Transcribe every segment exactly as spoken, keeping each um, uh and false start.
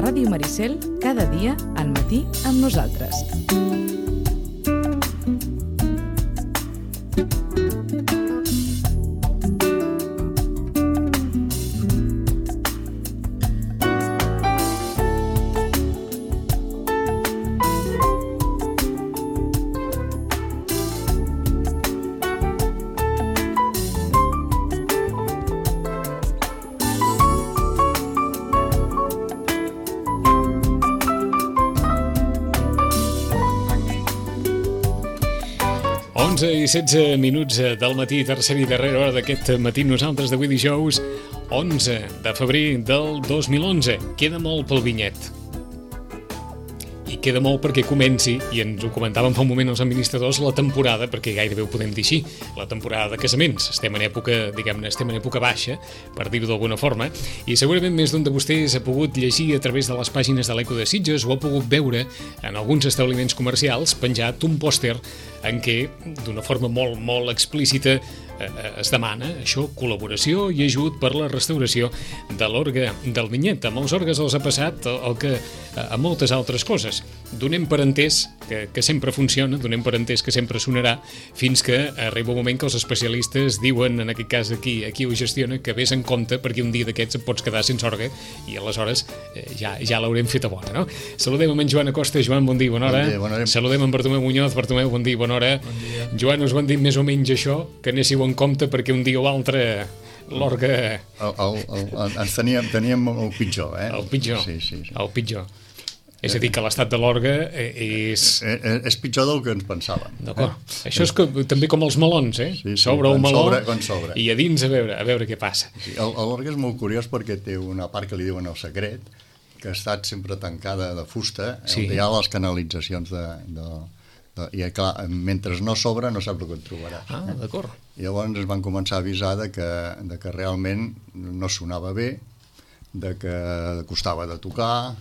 Ràdio Maricel, cada dia al matí amb nosaltres. onze i setze minuts del matí, tercera i darrera hora d'aquest matí, nosaltres d'avui dijous, onze de febrer del dos mil onze. Queda molt pel vinyet. I queda molt perquè comenci, i ens ho comentàvem fa un moment els administradors, la temporada, perquè gairebé ho podem dir així, la temporada de casaments. Estem en època, diguem-ne, estem en època baixa, per dir-ho d'alguna forma, i segurament més d'un de vostès ha pogut llegir a través de les pàgines de l'Eco de Sitges o ha pogut veure en alguns establiments comercials penjat un pòster en què, d'una forma molt, molt explícita, es demana això, col·laboració i ajut per la restauració de l'orgue del vinyet. Amb els orgues els ha passat el que a moltes altres coses. Donem per entès que, que sempre funciona, donem per entès que sempre sonarà, fins que arriba un moment que els especialistes diuen, en aquest cas aquí, aquí ho gestiona, que vés en compte perquè un dia d'aquests et pots quedar sense orgue i aleshores eh, ja, ja l'haurem fet a bona, no? Saludem amb en Joan Acosta. Joan, bon dia, bona hora. Bon dia, bona hora. Saludem amb Bartomeu Muñoz. Bartomeu, bon dia, bona hora. Bon dia. Joan, us van dir més o menys això, que anéssiu en compte perquè un dia o altre l'orgue... El, el, el, ens teníem, teníem el pitjor, eh? El pitjor, sí, sí, sí. el pitjor. És a dir, que l'estat de l'orgue és... És, és pitjor del que ens pensàvem. D'acord. Eh? Això és que, també com els melons, eh? Sí, sí, s'obre un meló sobre, sobre. i a dins a veure, a veure què passa. Sí, l'orgue és molt curiós perquè té una part que li diuen el secret, que ha estat sempre tancada de fusta, sí. On hi ha les canalitzacions de... de i clar, mentre no s'obre no saps el que et trobaràs. Ah, d'acord. I llavors ens van començar a avisar de que, de que realment no sonava bé, de que costava de tocar,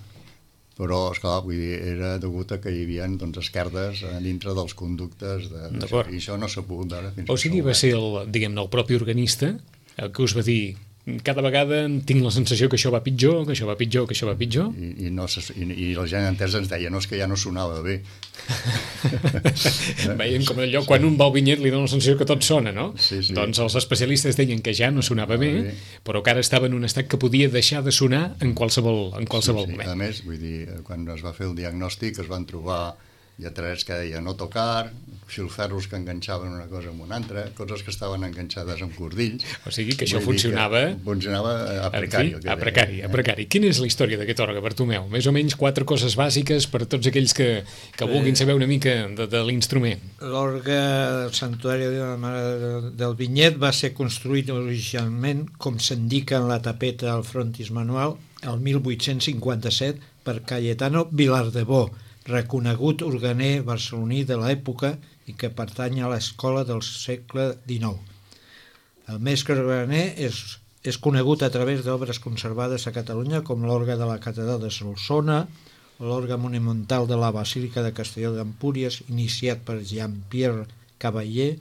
però, esclar, vull dir, era degut a que hi havia doncs, esquerdes dintre dels conductes de, d'acord. I això no s'ha pogut veure fins o sigui, va ser el, diguem-ne, el propi organista el que us va dir: cada vegada tinc la sensació que això va pitjor, que això va pitjor, que això va pitjor. I, i, no se, i, i la gent entesa ens deia, no, és que ja no sonava bé. Veiem com allò, quan un va al vinyet li dona la sensació que tot sona, no? Sí, sí. Doncs els especialistes deien que ja no sonava bé, bé, però que ara estava en un estat que podia deixar de sonar en qualsevol, en qualsevol sí, sí. moment. A més, vull dir, quan es va fer el diagnòstic es van trobar lletrers que deia no tocar, filferros que enganxaven una cosa amb una altra, coses que estaven enganxades amb cordills. O sigui que això funcionava... Que funcionava a precari. Fi, a precari, a precari. Quina és la història d'aquest orgue, Bartomeu? Més o menys quatre coses bàsiques per a tots aquells que, que vulguin saber una mica de, de l'instrument. L'orgue del Santuari de la Mare del Vinyet va ser construït originalment, com s'indica en la tapeta del frontis manual, el mil vuit-cents cinquanta-set per Cayetano Vilardebó, reconegut organer barceloní de l'època i que pertany a l'escola del segle dinou. El mestre organer és, és conegut a través d'obres conservades a Catalunya com l'orgue de la Catedral de Solsona, l'orgue monumental de la Basílica de Castelló d'Empúries, iniciat per Jean-Pierre Cavaller,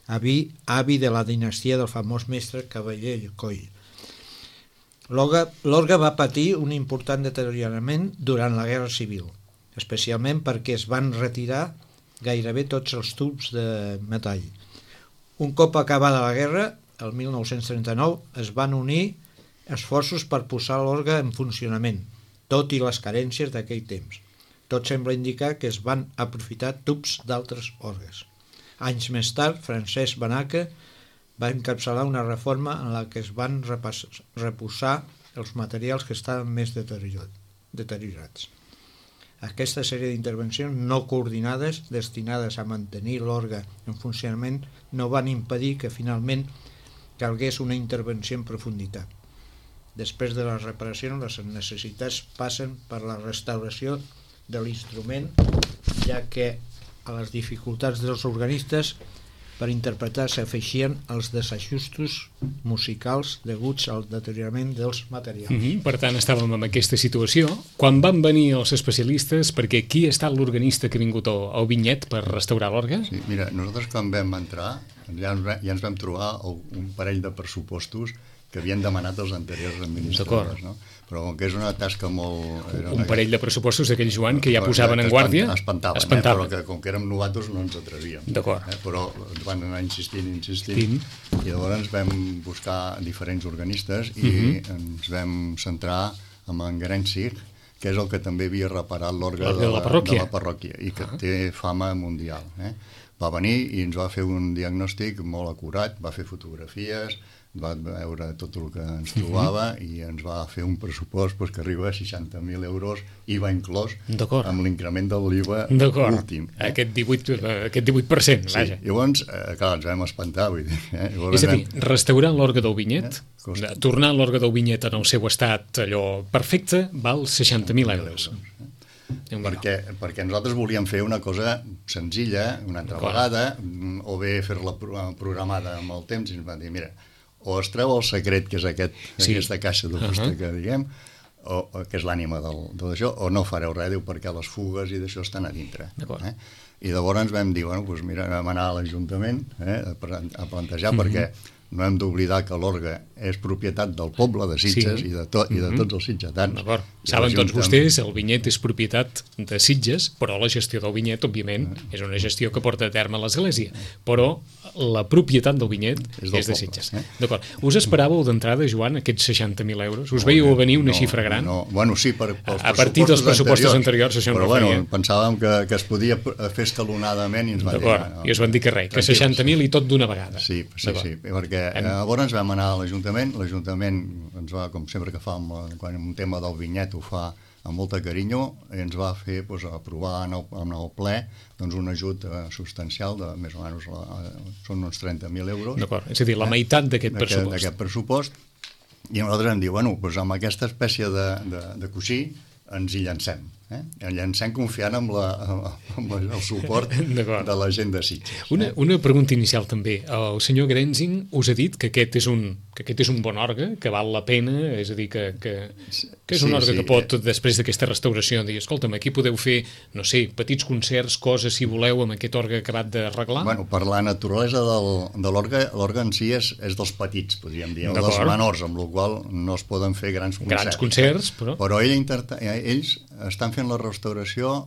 avi, avi de la dinastia del famós mestre Cavaller Coll. L'orgue va patir un important deteriorament durant la Guerra Civil, especialment perquè es van retirar gairebé tots els tubs de metall. Un cop acabada la guerra, el mil nou-cents trenta-nou, es van unir esforços per posar l'orgue en funcionament, tot i les carències d'aquell temps. Tot sembla indicar que es van aprofitar tubs d'altres orgues. Anys més tard, Francesc Banaca va encapçalar una reforma en la que es van reposar els materials que estaven més deteriorats. Aquesta sèrie d'intervencions no coordinades destinades a mantenir l'orgue en funcionament no van impedir que finalment calgués una intervenció en profunditat. Després de les reparacions, les necessitats passen per la restauració de l'instrument, ja que a les dificultats dels organistes per interpretar s'afeixien els desajustos musicals deguts al deteriorament dels materials. Mm-hmm. Per tant, estàvem en aquesta situació. Quan van venir els especialistes, perquè qui ha estat l'organista que ha vingut al, al Vinyet per restaurar l'orgue? Sí, mira, nosaltres quan vam entrar ja ens, ja ens vam trobar un parell de pressupostos que havien demanat els anteriors administradors, no? Però com que és una tasca molt... Un parell de pressupostos d'aquell Joan que ja posaven en guàrdia... Espantaven, espantaven. Eh? Però que com que érem novatos no ens atrevíem. D'acord. Eh? Però ens van anar insistint, insistint, Tim. I llavors vam buscar diferents organistes i uh-huh. ens vam centrar en en Gerencig, que és el que també havia reparat l'orgue de, de, la parròquia. de la parròquia i que uh-huh. té fama mundial. Eh? Va venir i ens va fer un diagnòstic molt acurat, va fer fotografies, va veure tot el que ens trobava uh-huh. i ens va fer un pressupost pues, que arriba a seixanta mil euros, I V A inclòs, amb l'increment de l'I V A últim. Eh? Aquest divuit, aquest divuit per cent, sí. vaja. Llavors, eh, clar, ens vam espantar. Vull dir, eh? Llavors, és a dir, restaurant l'orgue del Vinyet, eh? tornar l'orgue del Vinyet en el seu estat allò perfecte, val seixanta mil euros. Eh? Perquè, perquè nosaltres volíem fer una cosa senzilla, una altra Clar. vegada, o bé fer-la programada amb el temps, i ens van dir, mira, o es treu el secret, que és aquest, sí. aquesta caixa de fusta uh-huh. que diguem, o, o, que és l'ànima del, de això, o no fareu res, diu, perquè les fugues i d'això estan a dintre. Eh? I llavors ens vam dir, bueno, doncs mira, vam anar a l'Ajuntament eh, a, a plantejar, uh-huh. perquè no hem d'oblidar que l'orgue és propietat del poble de Sitges sí. i, de to, i de tots els sitgetans. Saben tots vostès, el Vinyet és propietat de Sitges, però la gestió del Vinyet, òbviament, uh-huh. és una gestió que porta a terme l'Església, però la propietat del Vinyet és, és de poble, Sitges. Eh? D'acord. Us esperàveu d'entrada, Joan, aquests seixanta mil euros? Us veieu a venir una no, xifra gran? No, bueno, sí, per, pels a partir dels pressupostos anteriors, anteriors això però bueno, pensàvem que, que es podia fer escalonadament i ens van dir... D'acord, i us van dir que res, que seixanta mil i tot d'una vegada. Sí, sí, sí, perquè hem... llavors vam anar a l'Ajuntament, l'Ajuntament ens va, com sempre que fa amb, quan un tema del Vinyet ho fa amb molta carinyo, i ens va fer pues, aprovar en el, en el ple doncs, un ajut eh, substancial de més o menys la, són uns trenta mil euros. D'acord, és a dir, la meitat d'aquest pressupost. D'aquest pressupost, i nosaltres hem dit, bueno, doncs amb aquesta espècie de, de, de coixí ens hi llancem. Eh? Ens llancem confiant amb, la, amb el suport de la gent de Sitges. Una, una pregunta inicial també. El senyor Grenzing us ha dit que aquest és un, que aquest és un bon orgue, que val la pena, és a dir, que, que, que és un sí, orgue sí. que pot, després d'aquesta restauració, dir, escolta'm, aquí podeu fer, no sé, petits concerts, coses, si voleu, amb aquest orgue acabat d'arreglar? Bueno, per la naturalesa del, de l'orgue, l'orgue en si és, és dels petits, podríem dir, o dels menors, amb la qual no es poden fer grans concerts. Grans concerts, però... Però ell interta, ells estan fent la restauració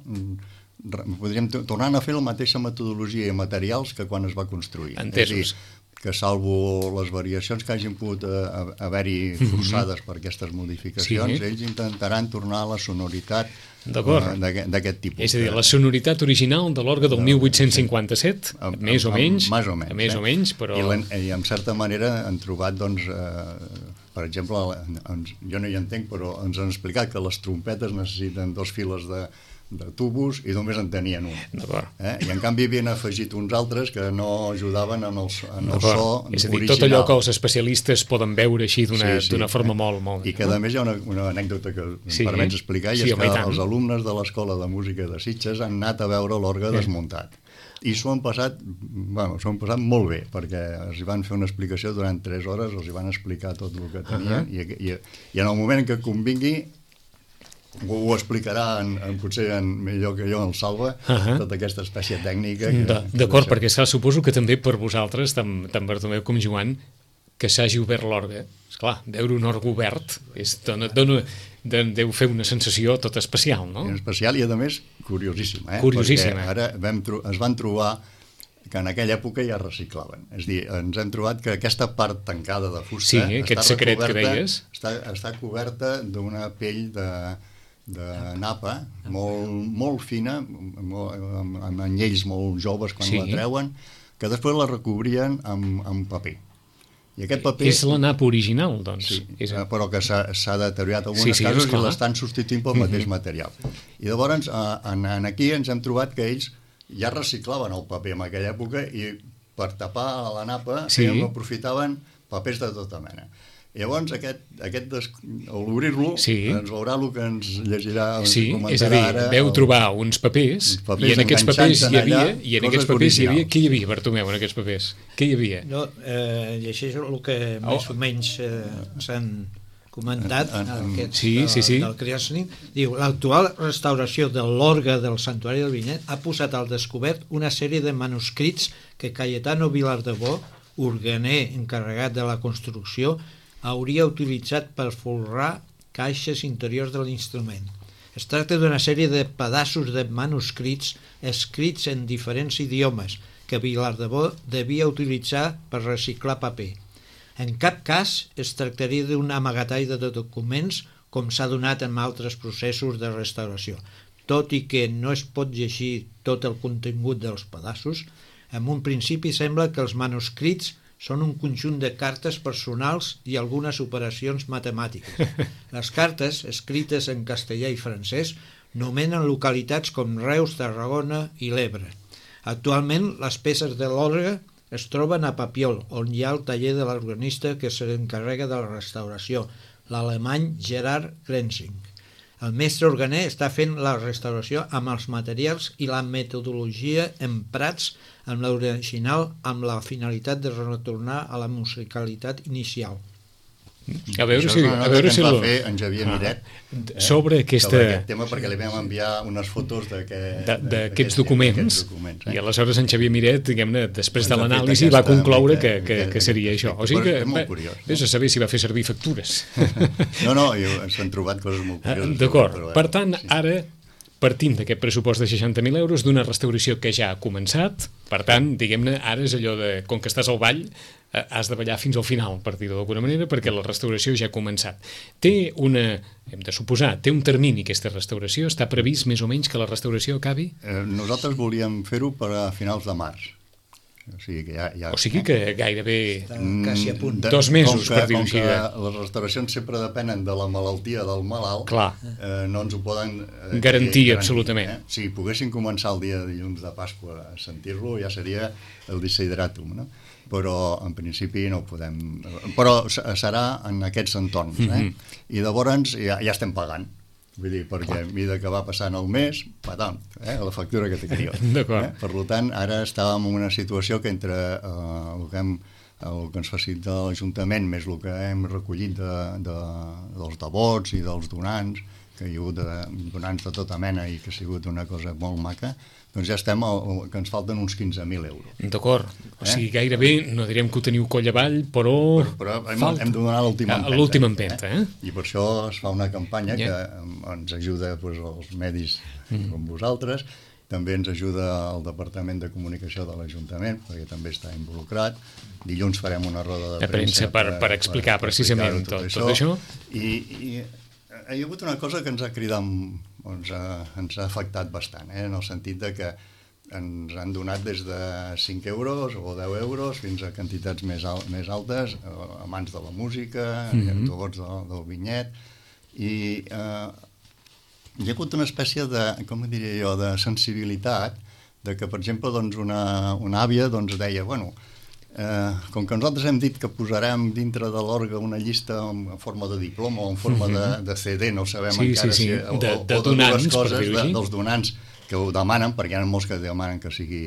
podríem tornar a fer la mateixa metodologia i materials que quan es va construir. Entesos. És a dir, que salvo les variacions que hagin pogut haver-hi forçades per aquestes modificacions, sí. ells intentaran tornar a la sonoritat d'aquest tipus. És a dir, la sonoritat original de l'orgue del mil vuit-cents cinquanta-set, més o menys, més o menys, més o menys, però... I, i en certa manera han trobat, doncs, eh, per exemple, ens, jo no hi entenc, però ens han explicat que les trompetes necessiten dos files de, de tubos i només en tenien un. Eh? I en canvi havien afegit uns altres que no ajudaven en el, en el so original. És a dir, tot allò que els especialistes poden veure així d'una sí, sí, forma eh? molt, molt... I que a més hi ha una, una anècdota que sí, em permets explicar, i sí, és que els alumnes de l'Escola de Música de Sitges han anat a veure l'orgue eh. desmuntat. I s'ho han passat, bueno, s'ho han passat molt bé, perquè els van fer una explicació durant tres hores, els van explicar tot el que tenien, uh-huh. i, i, i en el moment que convingui ho, ho explicarà en, en, potser en, millor que jo, el Salva, uh-huh. tota aquesta espècie tècnica. D'acord, perquè esclar, suposo que també per vosaltres, tant, tant Bartomeu com Joan, que s'hagi obert l'orgue, esclar, veure un orgue obert és, dona, dona, deu fer una sensació tot especial, no? Especial i, a més, curiosíssima. Eh? Curiosíssima. Perquè ara vam, es van trobar que en aquella època ja reciclaven. És a dir, ens hem trobat que aquesta part tancada de fusta sí, aquest està, secret que deies. Està, està coberta d'una pell de, de napa molt, molt fina, molt, amb, amb anyells molt joves quan sí. la treuen, que després la recobrien amb, amb paper. I aquest paper... És la napa original, doncs. Sí, és... però que s'ha deteriorat en algunes sí, sí, casos i l'estan substituint pel mateix material. I llavors, en, en aquí ens hem trobat que ells ja reciclaven el paper en aquella època i per tapar la napa sí. aprofitaven papers de tota mena. Llavors, aquest, aquest des... a l'obrir-lo, sí. ens veurà el que ens llegirà, ens sí, comentarà és a dir, ara. veu el... trobar uns papers, uns papers i en aquests papers hi havia, i en aquests papers hi havia, què hi havia, Bartomeu, en aquests papers? Què hi havia? No, eh, llegeixo el que oh. més o menys eh, s'han comentat en, en, aquest, sí, del, sí, sí. del Criasning. Diu, l'actual restauració de l'orgue del Santuari del Vinyet ha posat al descobert una sèrie de manuscrits que Cayetano Vilardebó, organer encarregat de la construcció, hauria utilitzat per folrar caixes interiors de l'instrument. Es tracta d'una sèrie de pedaços de manuscrits escrits en diferents idiomes que Vilardebó devia utilitzar per reciclar paper. En cap cas es tractaria d'un amagatall de documents com s'ha donat en altres processos de restauració. Tot i que no es pot llegir tot el contingut dels pedaços, en un principi sembla que els manuscrits són un conjunt de cartes personals i algunes operacions matemàtiques. Les cartes, escrites en castellà i francès, nomenen localitats com Reus, Tarragona i l'Ebre. Actualment, les peces de l'orgue es troben a Papiol, on hi ha el taller de l'organista que s'encarrega de la restauració, l'alemany Gerard Grenzing. El mestre organer està fent la restauració amb els materials i la metodologia emprats amb l'original amb la finalitat de retornar a la musicalitat inicial. A veure Això si... és una a nota veure que si ens va lo... fer en Xavier ah, Miret eh, sobre aquesta... sobre aquest tema, perquè li vam enviar unes fotos d'aquests documents, documents eh? I aleshores en Xavier Miret, diguem-ne, després ens de l'anàlisi va concloure que, que, que seria aquest, això. O sigui que, molt curiós, vés a saber si va fer servir factures. No, no, s'han trobat coses molt curioses. D'acord, per tant, ara partim d'aquest pressupost de seixanta mil euros d'una restauració que ja ha començat, per tant, diguem-ne, ara és allò de, com que estàs al ball, has de ballar fins al final, per dir-ho d'alguna manera, perquè la restauració ja ha començat. Té una, hem de suposar, té un termini aquesta restauració? Està previst més o menys que la restauració acabi? Eh, nosaltres volíem fer-ho per a finals de març. O sigui que, ja, ja, o sigui que gairebé quasi a punt. Dos mesos, que, per dir-ho així. Les restauracions sempre depenen de la malaltia del malalt. Clar. Eh, no ens ho poden eh, garantir, absolutament. Eh? Si poguessin començar el dia de dilluns de Pasqua a sentir-lo, ja seria el desideratum, no? Però en principi no ho podem... Però serà en aquests entorns, eh? Mm-hmm. I llavors ja, ja estem pagant. Vull dir, perquè a mesura que va passant el mes, patam, eh, la factura que té crió. D'acord. Eh? Per tant, ara estàvem en una situació que entre eh, el, que hem, el que ens facilita l'Ajuntament més el que hem recollit de, de, dels devots i dels donants, que hi ha hagut de, donants de tota mena i que ha sigut una cosa molt maca, doncs ja estem, al, que ens falten uns quinze mil euros. D'acord, o sigui, gairebé, no direm que ho teniu coll avall, però... Però, però hem, hem de donar l'última empenta. L'última empenta, eh? I per això es fa una campanya yeah. que ens ajuda doncs, els medis mm. com vosaltres, també ens ajuda el Departament de Comunicació de l'Ajuntament, perquè també està involucrat. Dilluns farem una roda de, de premsa per, per, per explicar per, precisament per tot, tot això. I, i hi ha hagut una cosa que ens ha cridat, ens ha, ens ha afectat bastant, eh? En el sentit de que ens han donat des de cinc euros o deu euros fins a quantitats més, al, més altes, a mans de la música, mm-hmm. a tots del, del vinyet, i eh, hi ha hagut una espècie de, com diria jo, de sensibilitat, de que, per exemple, doncs una, una àvia doncs, deia, bueno, Eh, com que nosaltres hem dit que posarem dintre de l'orgue una llista en forma de diploma o en forma mm-hmm. de, de C D, no sabem sí, encara sí, sí. si... O, de, de o de donants, dues coses per de, dels donants que ho demanen, perquè hi ha molts que demanen que sigui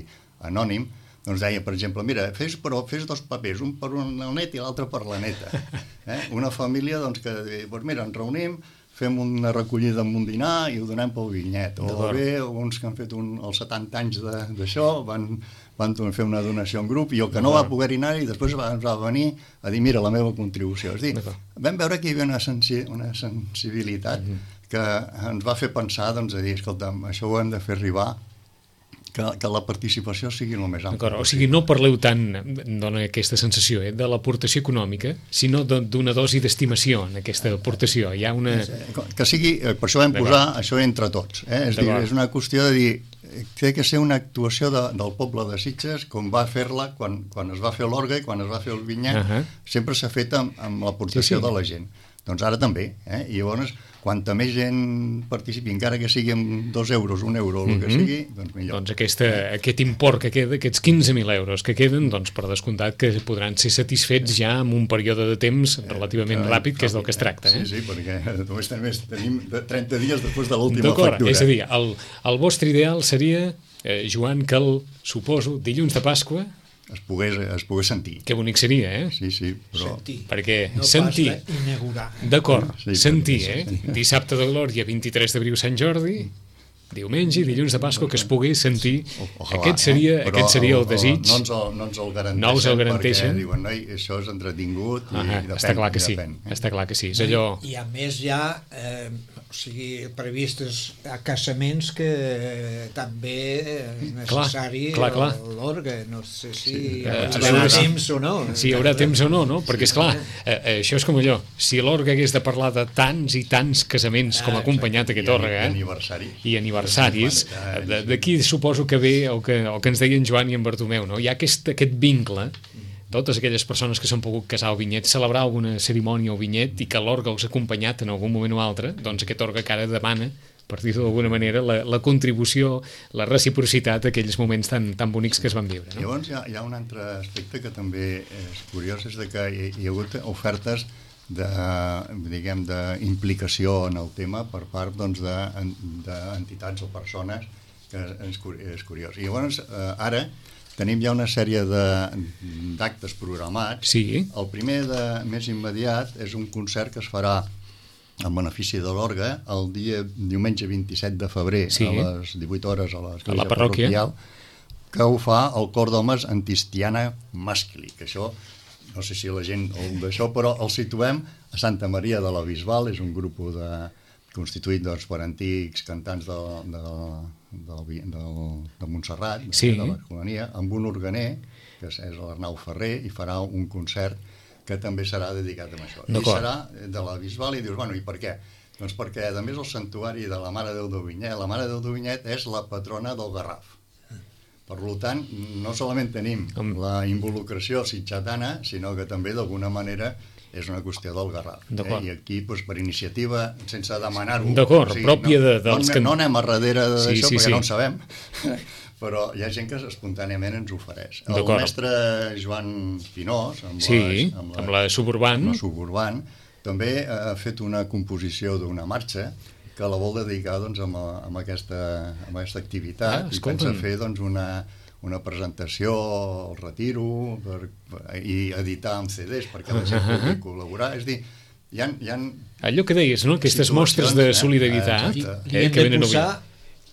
anònim, doncs deia, per exemple, mira, fes, però fes dos papers, un per un net i l'altre per la neta. Eh? Una família doncs, que, doncs, mira, ens reunim, fem una recollida amb un dinar i ho donem pel vinyet. O bé, uns que han fet un, els setanta anys d'això van... van fer una donació en grup i el que no va poder anar i després va, va venir a dir, mira, la meva contribució. És dir, vam veure que hi havia una, sensi una sensibilitat mm-hmm. que ens va fer pensar, doncs, a dir, escolta'm, això ho hem de fer arribar, que, que la participació sigui el més ampla. O sigui, no parleu tant, dona aquesta sensació, eh, de l'aportació econòmica, sinó d'una dosi d'estimació en aquesta aportació. Hi ha una... Que sigui, per això vam posar això entre tots. Eh? És, dir, és una qüestió de dir, té que ser una actuació de, del poble de Sitges, com va fer-la quan, quan es va fer l'orgue i quan es va fer el vinyet, uh -huh. sempre s'ha fet amb, amb l'aportació sí, sí. de la gent. Doncs ara també, eh? I llavors, quanta més gent participi, encara que sigui amb dos euros, un euro, o el que Mhm. sigui, doncs millor. Doncs aquesta, aquest import que queda, aquests quinze mil euros que queden, doncs per descomptat que podran ser satisfets ja en un període de temps relativament Eh, ràpid, que és del que es tracta. Eh? Sí, sí, perquè només tenim, tenim trenta dies després de l'última D'acord, factura. és a dir, el, el vostre ideal seria, eh, Joan, que el, suposo, dilluns de Pasqua, Es pogués, es pogués sentir. que bonic seria, eh? Sí, sí, però... Sentir. Perquè No sentir, pas d'inaugurar. d'acord, Sí, sentir, sí, eh? sí. Dissabte de Glòria, vint-i-tres d'abril, Sant Jordi, diumenge i dilluns de Pasqua, que es pogués sentir. Ojalà, Aquest seria, eh? Però aquest seria el el- desig. No ens el, no ens el garanteixen, No us el garanteixen. perquè diuen, noi, això és entretingut i, Ah, i depèn. està clar que i sí, depèn, eh? està clar que sí. És allò... I a més hi ha eh, o sigui, previstes a casaments que eh, també és necessari clar, clar. l'orgue. No sé si Sí, hi eh, haurà a veure si- temps o no. Si hi haurà temps o no, no? Perquè, esclar, eh, eh, això és com allò. Si l'orgue hagués de parlar de tants i tants casaments com ha acompanyat aquest I orgue, eh? aniversaris. I aniversaris, cinquanta anys. de- d'aquí suposo que ve el que, el que ens deien Joan i en Bartomeu, no? Hi ha aquest, aquest vincle, totes aquelles persones que s'han pogut casar al vinyet, celebrar alguna cerimònia al vinyet i que l'orgue els ha acompanyat en algun moment o altre, doncs aquest orgue que ara demana, per dir-ho d'alguna manera, la, la contribució, la reciprocitat d'aquells moments tan, tan bonics que es van viure. No? Llavors hi ha, hi ha un altre aspecte que també és curiós, és de que hi, hi ha hagut ofertes de, diguem, d'implicació en el tema per part doncs, d'entitats o persones, que és, és curiós. I llavors, eh, ara, tenim ja una sèrie d'actes programats. Sí. El primer de, més immediat és un concert que es farà en benefici de l'orgue el dia diumenge vint-i-set de febrer, Sí. a les divuit hores a A l'església la parròquia. parroquial, que ho fa el cor d'homes Antistiana Mascli, que això, no sé si la gent el d'això, però el situem a Santa Maria de la Bisbal, és un grup de, constituït doncs, per antics cantants de, de, de, de, de Montserrat, de, Sí. de l'Escolania, amb un organer, que és, és l'Arnau Ferrer, i farà un concert que també serà dedicat a això. I D'acord. serà de la Bisbal, i dius, bueno, i per què? Doncs perquè, a més, el santuari de la Mare Déu de Vinyet, la Mare Déu de Vinyet és la patrona del Garraf. Per tant, no solament tenim la involucració sitgetana, sinó que també, d'alguna manera, és una qüestió del Garraf. Eh? I aquí, doncs, per iniciativa, sense demanar-ho... D'acord, pròpia no, de, dels... No, que... no anem a darrere d'això, sí, sí, perquè sí. no en sabem, però hi ha gent que espontàniament ens ofereix. El mestre Joan Pinós, amb, sí, les, amb, la, amb la Suburban, amb la Suburban, també ha fet una composició d'una marxa que la vol dedicar doncs, amb, a, amb, aquesta, amb aquesta activitat, ah, i pensa fer doncs, una, una presentació al retiro per, per, i editar amb C Ds perquè la gent pugui col·laborar. És a dir, hi ha, hi ha allò que deies, no? Aquestes mostres de solidaritat eh? eh, que venen a posar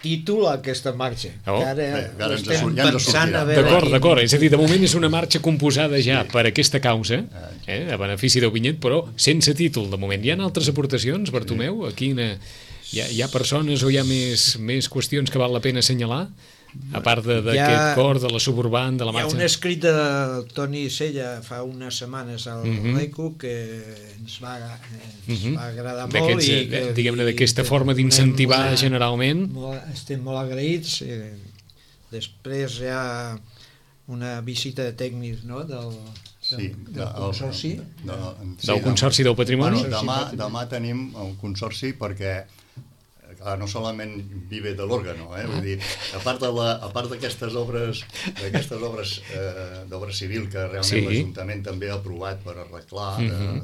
títol a aquesta marxa. Oh. Que ara Bé, ara ens estem ja ens pensant a veure... D'acord, d'acord. És a dir, de moment és una marxa composada ja sí. per aquesta causa, eh, a benefici del vinyet, però sense títol de moment. Hi ha altres aportacions, Bartomeu? Aquí hi ha, hi ha persones o hi ha més, més qüestions que val la pena assenyalar? A part d'aquest cor, de la Suburban, de la marxa... Hi ha un escrit de Toni Sella fa unes setmanes al uh -huh. Reco que ens va, ens uh -huh. va agradar molt. I que, diguem-ne, d'aquesta forma d'incentivar generalment. Molt, estem molt agraïts. Eh, després hi ha una visita de tècnics, no?, del, del, sí, del consorci. De, de, sí, del Consorci del Patrimoni. Bueno, demà, demà tenim el consorci perquè clar, no solament vive de l'òrgano, eh? Vull dir, a part de la, a part d'aquestes obres d'aquestes obres eh, d'obra civil que realment sí. l'Ajuntament també ha aprovat per arreglar uh-huh.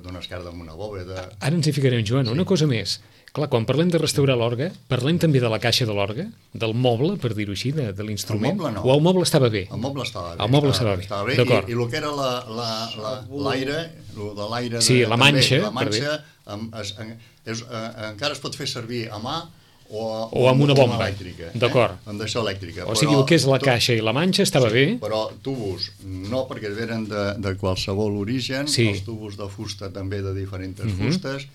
d'una esquerda amb una bòveda. Ara ens hi ficarem, Joan, sí. una cosa més. Clar, quan parlem de restaurar l'orgue, parlem també de la caixa de l'orgue, del moble, per dir-ho així, de, de l'instrument. El moble no. O el moble estava bé? El moble estava bé. El moble estava, estava bé, estava bé. I, i el que era l'aire, el de l'aire... Sí, la manxa. La manxa amb, es, en, és, eh, encara es pot fer servir a mà o, o amb una bomba. Elèctrica. D'acord. Eh? Amb d'això elèctrica. O sigui, el que és la caixa i la manxa estava sí, bé. Però tubos no, perquè venen de, de qualsevol origen. Sí. Els tubos de fusta també de diferents uh-huh. fustes.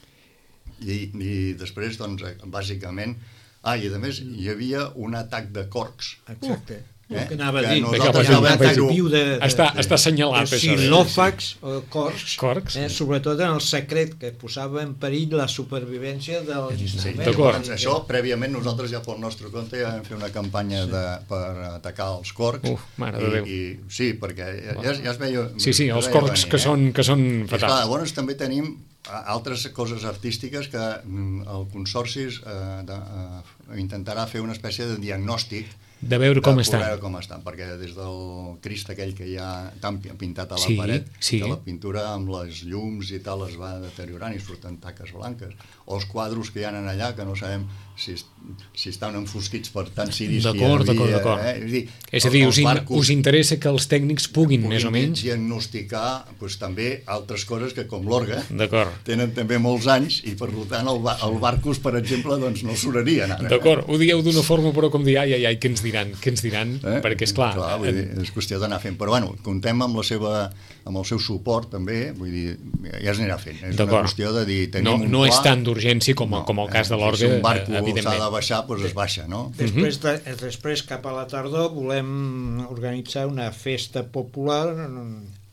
I, i després, doncs, bàsicament... Ah, i a més hi havia un atac de corcs. Exacte. Eh? que anava a que dir, nosaltres que ja vam veig- fer-ho. de, de, Està, està assenyalat, de això. xilòfags o corcs, Corcs. eh, sobretot en el secret, que posava en perill la supervivència dels Sí, instruments. d'acord. doncs això, prèviament, nosaltres ja pel nostre compte ja vam fer una campanya de, per atacar els corcs. Uf, mare de i, Déu. I, sí, perquè ja, ja, ja es veia... Sí, sí, es els veia corcs venir, que són, que són I, esclar, fatals. llavors també tenim a- altres coses artístiques que mm, el Consorci eh, de, eh, intentarà fer una espècie de diagnòstic De veure com de estan. veure com estan, perquè des del Crist aquell que hi ha tan pi- pintat a la Sí, paret, sí. que la pintura amb les llums i tal es va deteriorant i surten taques blanques, o els quadros que hi ha allà que no sabem si, es- si estan enfosquits per tant ciris que hi D'acord, havia, d'acord, d'acord. eh? És a dir, És a dir, els us, in, barcos us interessa que els tècnics puguin, més o puguin menys... diagnosticar doncs, també altres coses que com l'orgue D'acord. tenen també molts anys i per tant el, ba- el barcos, per exemple, doncs no surarien ara. D'acord, ho dieu d'una forma, però com dir, ai, ai, ai, què ens diran, què ens diran, Eh? perquè, esclar... clar vull dir, és qüestió d'anar fent, però bueno, contem amb la seva amb el seu suport també, vull dir, ja es anirà fent, és una D'acord. qüestió de dir, tenim no, un no pla, és tant d'urgència com, no, com el cas de eh, l'orgue, si un barco eh, s'ha evidentment. de baixar, doncs es baixa, no? Després, de, després, cap a la tardor, volem organitzar una festa popular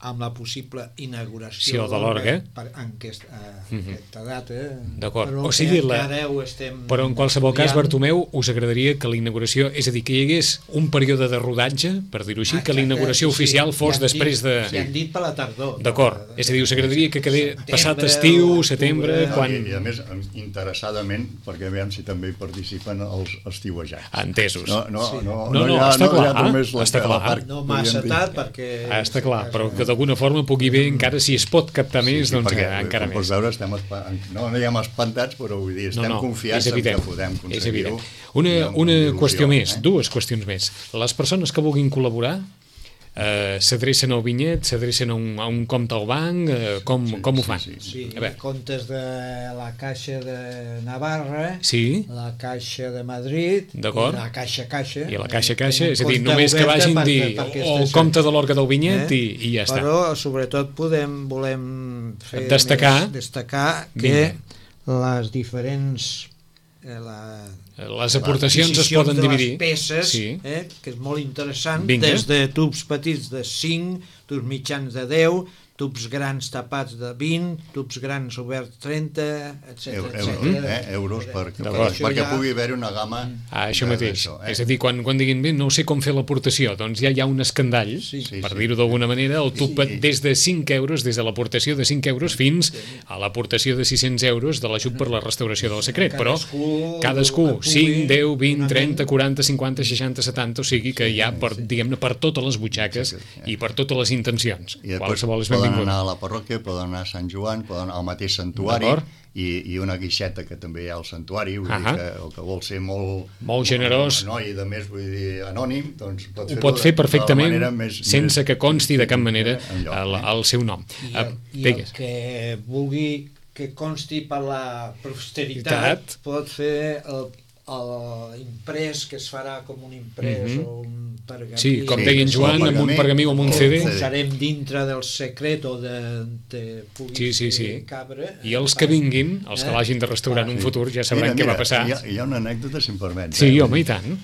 amb la possible inauguració Sí, de l'orgue. per- en aquest, a aquesta data. D'acord. Però O sigui, que la- encara ho estem Però en qualsevol cas, triant. Bartomeu, us agradaria que la inauguració, és a dir, que hi hagués un període de rodatge, per dir-ho així, que la inauguració Exacte, oficial sí, fos ja han després dit, de... Ja han dit per la tardor. D'acord, és a dir, us agradaria que quedés Setembre, passat estiu, octubre, setembre, no, quan... I, I a més, interessadament, perquè veiem si també hi participen els estiuejats. Entesos. No, no, Sí. no, No, no, hi ha, està no hi ha clar, només la, està la clar. part, No massa podríem dir. tard, perquè... Ah, està clar, però que d'alguna forma pugui bé, encara si es pot captar més, doncs perquè, eh, encara com més. pots veure, estem espa... no diguem espantats, però vull dir, estem confiats és en evident, que podem és aconseguir-ho. evident. Una, i amb- una amb il·lusió, qüestió més, eh? dues qüestions més. Les persones que vulguin col·laborar eh, s'adrecen al vinyet, s'adrecen a, un, a un compte al banc, eh, com, Sí, com ho sí, fan? sí. Sí, A veure. comptes de la Caixa de Navarra, Sí, la Caixa de Madrid D'acord. i la Caixa Caixa. i a la caixa Eh, caixa, tenen és a dir, compte només que obert vagin per- dir per o aquestes- el compte de l'orgue del vinyet Eh? i, i ja està. Però sobretot podem, volem fer Destacar. més, destacar Vinga. que les diferents eh, la, Les aportacions es l'adquisició poden de dividir. les peces, Sí. eh, que és molt interessant, Vinga. des de tubs petits de cinc, tubs mitjans de deu, tubs grans tapats de vint, tubs grans oberts trenta, Eu- etcètera. Euros, eh? euros per, per, D'acord. perquè Ja- pugui haver-hi una gamma Ah, això de- mateix. d'això, eh? És a dir, quan, quan diguin bé, no sé com fer l'aportació, doncs ja hi ha un escandall, Sí. Sí, per sí. dir-ho d'alguna manera, el tub Sí. des de cinc euros, des de l'aportació de cinc euros fins a l'aportació de sis-cents euros de l'ajut per la restauració del secret. Però Cadascú- cadascú, que pugui, cinc, deu, vint, una trenta, ment. quaranta, cinquanta, seixanta, setanta, o sigui que hi ha, per, diguem-ne, per totes les butxaques i per totes les intencions. I després Qualsevol és poden benvingut. anar a la parròquia, poden anar a Sant Joan, poden anar al mateix santuari D'acord. i, i una guixeta que també hi ha al santuari, vull Ahà. dir que, o que vol ser molt, Molt generós. no, i de més vull dir anònim, doncs pot Ho fer-ho pot de- fer de la perfectament manera més, sense més, que consti de cap manera enlloc, el, eh? el seu nom. I Ah, el, i el digues. que vulgui que consti per la posteritat Veritat. pot fer el, el imprès que es farà com un imprès Mhm. o un pergamí. Sí, com Sí, deia en sí, Joan, el amb un pergamí. pergamí o amb un Sí, C D. sí. Posarem dintre del secret o de, de pugui Sí, sí, sí. fer cabre. I els que vinguin, els que Eh? l'hagin de restaurar en un futur, ja sabran Mira, què va mira, passar. Hi ha, hi ha una anècdota, si em permets. Sí, eh? home, i tant.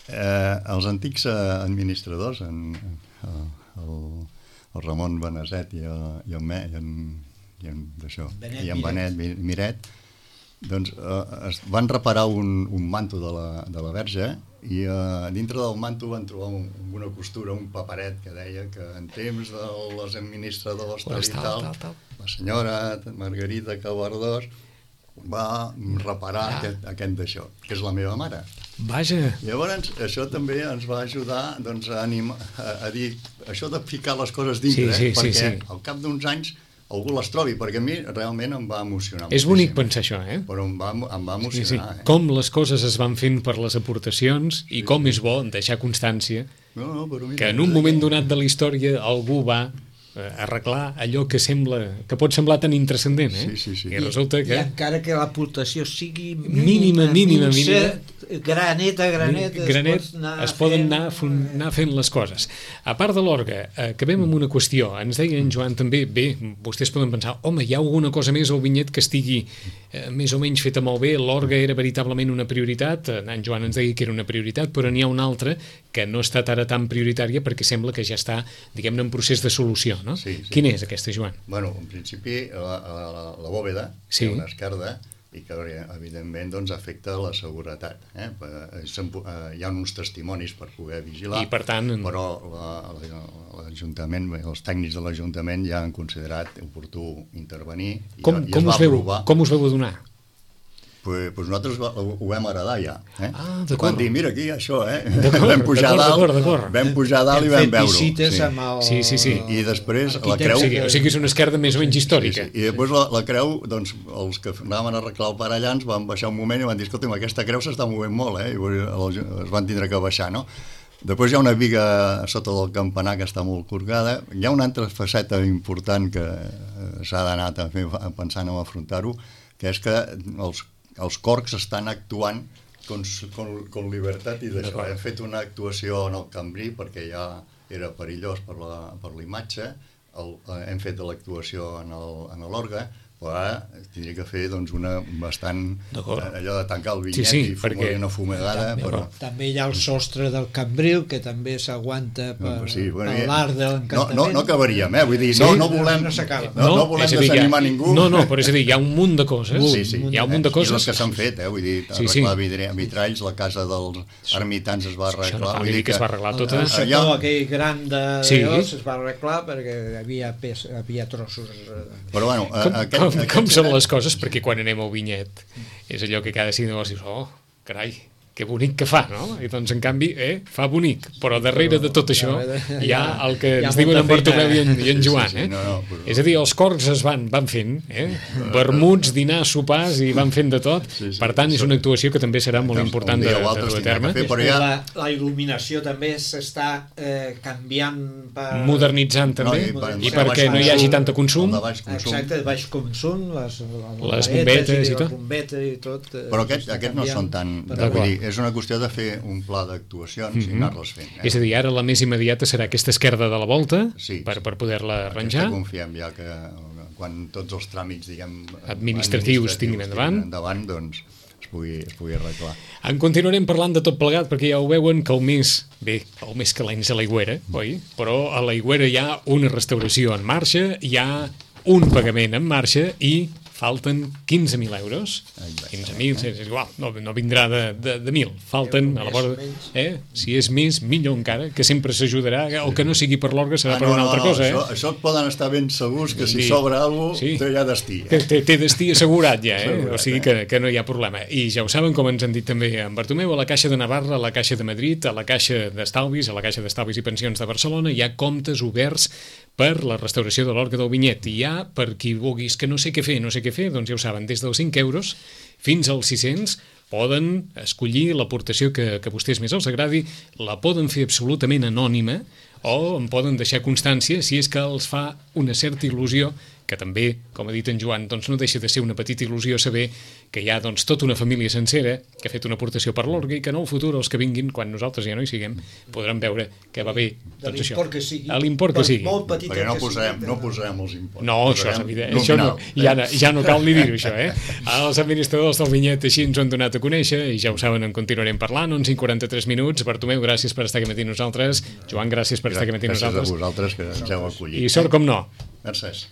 Eh, els antics eh, administradors, en, el, el, el Ramon Beneset i, el, i, el Me, i en, i en, d'això, Benet i en Miret. Benet Mi- Miret, doncs eh, es van reparar un, un manto de la, de la verge i eh, dintre del manto van trobar un, una costura, un paperet que deia que en temps de les administradors tal, Pues i tal, tal, tal, tal. la senyora Margarita Cabardós va reparar Ah. aquest, aquest d'això, que és la meva mare. Vaja, Llavors, això també ens va ajudar doncs, a, animar, a, a dir això de ficar les coses dintre, Sí, sí, eh? sí, perquè sí. al cap d'uns anys algú les trobi, perquè a mi realment em va emocionar és moltíssim. bonic pensar això, eh? Però em va, em va Sí, sí. emocionar. Eh? Com les coses es van fent per les aportacions i com és bo deixar constància No, no, però mira, que en un moment donat de la història algú va eh, arreglar allò que sembla que pot semblar tan intrascendent, eh? Sí, sí, sí. I resulta I que encara que l'aportació sigui Mínima, mínima, minsa, mínima. granet a granet, granet es, anar es poden fent... anar, fun, anar fent les coses. A part de l'orgue, eh, acabem amb una qüestió. Ens deia en Joan també, bé, vostès poden pensar, home, hi ha alguna cosa més al vinyet que estigui eh, més o menys feta molt bé, l'orgue era veritablement una prioritat, en Joan ens deia que era una prioritat, però n'hi ha una altra que no ha estat ara tan prioritària perquè sembla que ja està, diguem-ne, en procés de solució, no? Sí, sí. Quina és aquesta, Joan? Bueno, en principi, la, la, la bòveda, Sí. té una esquerda, i que evidentment doncs, afecta la seguretat. Eh? Hi ha uns testimonis per poder vigilar, I, per tant, però l'Ajuntament, els tècnics de l'Ajuntament ja han considerat oportú intervenir i, com, i com, es va us veu, aprovar. com us veu adonar? Pues, pues nosaltres ho, ho vam heredar ja. Eh? Ah, d'acord. Quan dir, mira aquí, això, eh? D'acord, Vam pujar d'acord, dalt, d'acord, d'acord. vam pujar dalt i Hem vam fet veure-ho. visites Sí. amb el... Sí, sí, sí. I després la arquitecte. creu... O sigui, o sigui que és una esquerda més o menys històrica. Sí, sí. I després la, la creu, doncs, els que anàvem a arreglar el pare allà ens van baixar un moment i van dir, escolta'm, aquesta creu s'està movent molt, eh? I es van tindre que baixar, no? Després hi ha una viga sota del campanar que està molt corgada. Hi ha una altra faceta important que s'ha d'anar també pensant en afrontar-ho, que és que els, els corcs estan actuant con, con, con llibertat i d'això. Hem fet una actuació en el Cambrí perquè ja era perillós per la, per la imatge, el, hem fet l'actuació en l'orgue, però ara tindria que fer doncs, una bastant allò de tancar el vinyet sí, sí, i fumar perquè... una fumegada. També, però... també hi ha el sostre del Cambril, que també s'aguanta per, no, sí, bueno, per l'art de l'encantament. No, no, no acabaríem, eh? Vull dir, Sí? no, no volem, No s'acaba. no, no volem és a dir, desanimar ha, ningú. No, no, però és a dir, hi ha un munt de coses. Sí, sí. Hi ha un munt de coses. I les que s'han fet, eh? Vull dir, Sí, arreglar sí. vidre- vitralls, la casa dels ermitans es va Això no arreglar. cal Vull dir que es va arreglar El, tota. el sector Allà- aquell gran de Sí. Deos es va arreglar perquè hi havia, pes, havia trossos... eh, Però bueno, Com, aquest, com, aquest, com són les coses? Perquè quan anem al vinyet és allò que cada cinc dius, oh, carai, que bonic que fa, no? I doncs, en canvi, eh, fa bonic, però darrere de tot això hi ha el que hi ha ens diuen en molta Bartomeu i en, i en Sí, sí, Joan, sí, eh? no, no, però- És a dir, els corcs es van, van fent, eh? Vermuts, dinars, sopars, i van fent de tot. Sí, sí, Per tant, és una actuació que també serà molt Un important dia de, o altre de dur a es tindrà terme. que fer, però Després ja- la, la il·luminació també s'està eh, canviant per... Modernitzant també, i per- i perquè no hi hagi tant consum. el de baix consum. Exacte, de baix consum, les, Les bombetes i i tot. les bombetes i tot. eh, Però aquest, s'està aquest no canviant són tan... per- Vull dir, és una qüestió de fer un pla d'actuacions i anar-les fent. Eh? És a dir, ara la més immediata serà aquesta esquerda de la volta, Sí, per, sí. per poder-la Aquesta arranjar. confiem ja que quan tots els tràmits, diguem... Administratius tinguin endavant. endavant, doncs es pugui, es pugui arreglar. En continuarem parlant de tot plegat, perquè ja ho veuen que el mes, bé, el mes que l'any és a l'Aigüera, oi? Però a l'Aigüera hi ha una restauració en marxa, hi ha un pagament en marxa i falten quinze mil euros. quinze mil, és igual, no, no vindrà de, de, de mil. Falten a la vora... Eh? Si és més, millor encara, que sempre s'ajudarà. El que no sigui per l'orgue serà Ah, per no, una no, altra no, cosa, això, eh? això et poden estar ben segurs que si Sí. sobra alguna cosa, Sí. té ja destí. Té, Eh? té, té destí assegurat ja, eh? Assegurat, O sigui eh? que, que no hi ha problema. I ja ho saben, com ens han dit també en Bartomeu, a la Caixa de Navarra, a la Caixa de Madrid, a la Caixa d'Estalvis, a la Caixa d'Estalvis i Pensions de Barcelona, hi ha comptes oberts per la restauració de l'orgue del vinyet. I hi ha, per qui vulguis que no sé què fer, no sé què fer, doncs ja ho saben, des dels cinc euros fins als sis-cents poden escollir l'aportació que, que a vostès més els agradi, la poden fer absolutament anònima o en poden deixar constància si és que els fa una certa il·lusió, que també, com ha dit en Joan, doncs no deixa de ser una petita il·lusió saber que hi ha doncs, tota una família sencera que ha fet una aportació per l'orgue i que en el futur els que vinguin, quan nosaltres ja no hi siguem, podran veure que va bé de doncs això. l'import que sigui. A l'import que per sigui. Molt petit Perquè no que posarem, sigui. no posarem els impostos. No, això és Posarem evident. Això no, nominal, ja, eh? no, ja no cal ni dir-ho, això, eh? Els administradors del vinyet així ens ho han donat a conèixer i ja ho saben, en continuarem parlant. onze i quaranta-tres minuts. Bartomeu, gràcies per estar aquí matí nosaltres. Joan, gràcies per estar aquí matí Gràcies a nosaltres. vosaltres que ens heu acollit. I sort com no. Gràcies.